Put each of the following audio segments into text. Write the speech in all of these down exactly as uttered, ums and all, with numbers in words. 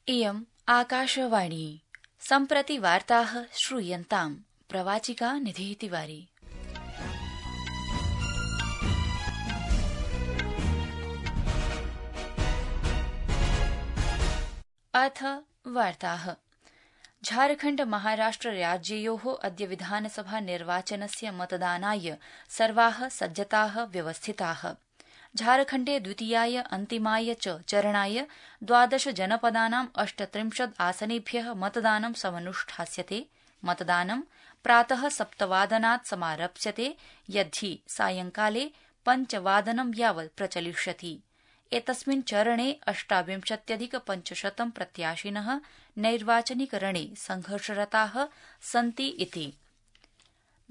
इयम् आकाशवाणी सम्प्रति वार्ताः श्रूयन्ताम् प्रवाचिका निधिः तिवारी। अथ वार्ताः। झारखण्ड महाराष्ट्र राज्ययोः अद्य विधानसभा निर्वाचनस्य मतदानाय सर्वाः सज्जताः व्यवस्थिताः। झारखण्डे द्वितीयाय अन्तिमाय च चरणाय द्वादश जनपदानां अष्टत्रिंशत् आसनेभ्यः मतदानं समनुष्ठास्यते। मतदानं प्रातः सप्तवादनात् समारप्स्यते, यद्धि सायंकाले पञ्चवादनं यावत् प्रचलिष्यति। एतस्मिन् चरणे अष्टाविंशत्यधिक पञ्चशतं प्रत्याशिनः नैर्वाचनिकरणे संघर्षरताः सन्ति इति।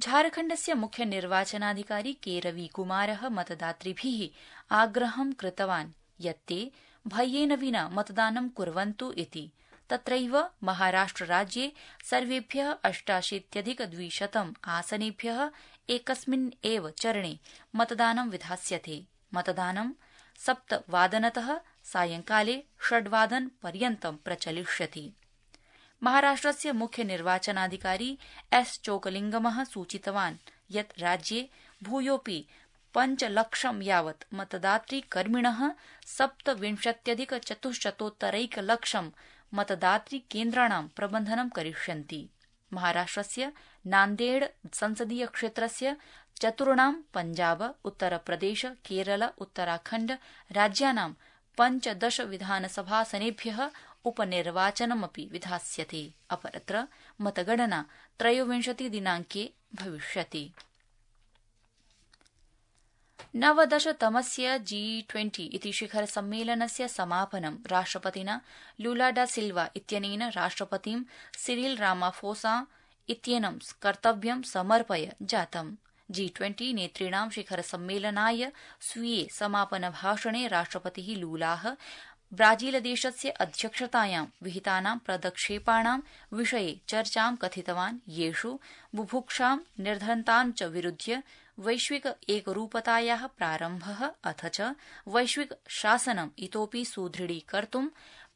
झारखण्डस्य मुख्य निर्वाचनाधिकारी के रविकुमारः मतदातृभिः आग्रहं कृतवान् यत् ते भयेन विना मतदानं कुर्वन्तु इति। तत्रैव महाराष्ट्रराज्ये सर्वेभ्यः अष्टाशीत्यधिक द्विशतम् आसनेभ्यः एकस्मिन् एव चरणे मतदानं विधास्यते। मतदानं सप्तवादनतः सायंकाले षड्वादन पर्यन्तं प्रचलिष्यति। महाराष्ट्रस्य मुख्य निर्वाचनाधिकारी एस चोकलिंगमः सूचितवान् यत् राज्ये भूयोऽपि पञ्चलक्षं यावत् मतदातृकर्मिणः सप्तविंशत्यधिक चतुश्शतोत्तरैकलक्षं मतदातृकेन्द्राणां प्रबन्धनं करिष्यन्ति। महाराष्ट्रस्य नान्देड़ संसदीय क्षेत्रस्य चतुर्णां पञ्जाब, उत्तरप्रदेश, केरल, उत्तराखण्ड राज्यानां पञ्चदश विधानसभासनेभ्यः उपनिर्वाचनमपि विधास्यते। अपरत्र मतगणना त्रयोविंशति दिनांके भविष्यति। नवदशतमस्य जी ट्वेंटी इति शिखर सम्मेलनस्य समापनं राष्ट्रपतिना लुला डा सिल्वा इत्यनेन राष्ट्रपतिं सिरिल रामाफोसा इत्येनं कर्तव्यं समर्पय जातम्। जी ट्वेंटी नेतॄणां शिखर सम्मेलनाय स्वीये समापनभाषणे राष्ट्रपतिः लूलाः ब्राजीलदेशस्य अध्यक्षतायां विहितानां पदक्षेपाणां विषये चर्चां कथितवान्, येषु बुभुक्षां निर्धनतां च विरुध्य वैश्विक एकरूपतायाः प्रारम्भः अथ च वैश्विक शासनम् इतोपि सुदृढीकर्तुं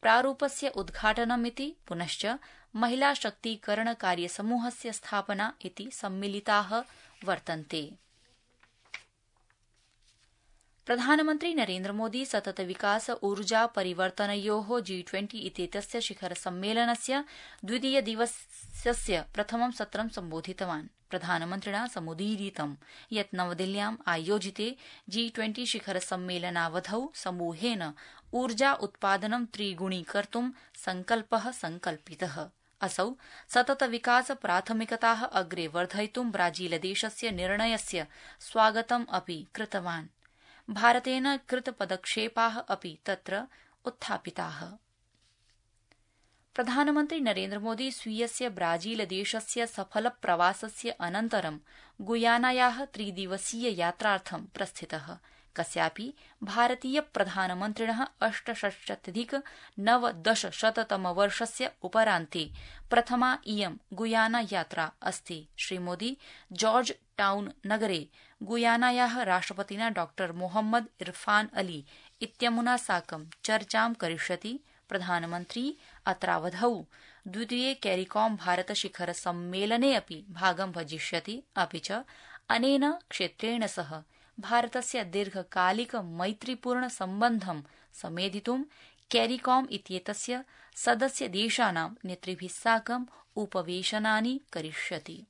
प्रारूपस्य उद्घाटनमिति, पुनश्च महिला शक्तीकरण कार्यसमूहस्य स्थापना इति सम्मिलिताः वर्तन्ते। प्रधानमन्त्री नरेन्द्रमोदी सतत विकास ऊर्जा परिवर्तनयोः जी ट्वेंटी इत्येतस्य शिखर सम्मेलनस्य द्वितीय दिवसस्य प्रथमं सत्रं सम्बोधितवान्। प्रधानमन्त्रिणा समुदीरितं यत् नवदिल्ल्याम् आयोजिते जी ट्वेंटी शिखर सम्मेलनावधौ समूहेन ऊर्जा उत्पादनं त्रिगुणीकर्तुं संकल्पः संकल्पितः। असौ सतत विकास प्राथमिकताः अग्रे वर्धयितुं ब्राजीलदेशस्य निर्णयस्य स्वागतम् अपि कृतवान्। भारतेन कृतपदक्षेपाः अपि तत्र उत्थापिताः। प्रधानमन्त्री नरेन्द्रमोदी स्वीयस्य ब्राजीलदेशस्य सफल प्रवासस्य अनन्तरं गुयानायाः त्रिदिवसीय यात्रार्थं प्रस्थितः। कस्यापि भारतीय प्रधानमन्त्रिणः अष्टषष्ट्यधिक नवदशशततमवर्षस्य उपरान्ते प्रथमा इयं गुयाना यात्रा अस्ति। श्रीमोदी जॉर्ज टाउन नगरे गुयानायाः राष्ट्रपतिना डॉ मोहम्मद इरफान अली इत्यमुना साकं चर्चां करिष्यति। प्रधानमन्त्री अत्रावधौ द्वितीये कैरिकॉम भारत शिखर सम्मेलने अपि भागं भजिष्यति। अपि च अनेन क्षेत्रेण सह भारतस्य दीर्घकालिक मैत्रीपूर्ण सम्बन्धं समेधितुं कैरिकॉम इत्येतस्य सदस्य देशानां नेतृभिः साकं उपवेशनानि करिष्यति।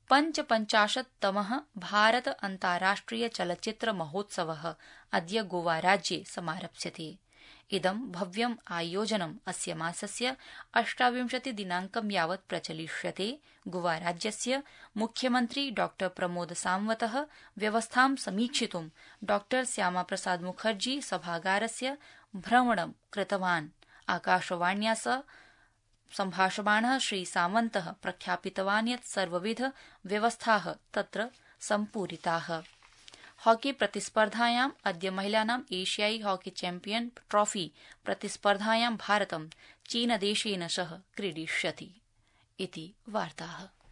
पञ्चपञ्चाशत्तमः भारत अन्ताराष्ट्रिय चलच्चित्र महोत्सवः अद्य गोवा राज्ये समारप्स्यते। इदं भव्यम् आयोजनम् अस्य मासस्य अष्टाविंशति दिनांकं यावत् प्रचलिष्यते। गोवा राज्यस्य मुख्यमन्त्री डॉ प्रमोद सावन्तः व्यवस्थां समीक्षितुं डॉ श्यामाप्रसाद मुखर्जी सभागारस्य भ्रमणं कृतवान्। आकाशवाण्या सह सम्भाषमाणः श्री सावन्तः प्रख्यापितवान् यत् सर्वविध व्यवस्थाः तत्र सम्पूरिताः। हॉकी प्रतिस्पर्धायाम् अद्य महिलानां एशियाई हॉकी चैम्पियन ट्रॉफी प्रतिस्पर्धायां भारतं चीनदेशेन सह क्रीडिष्यति इति वार्ताः।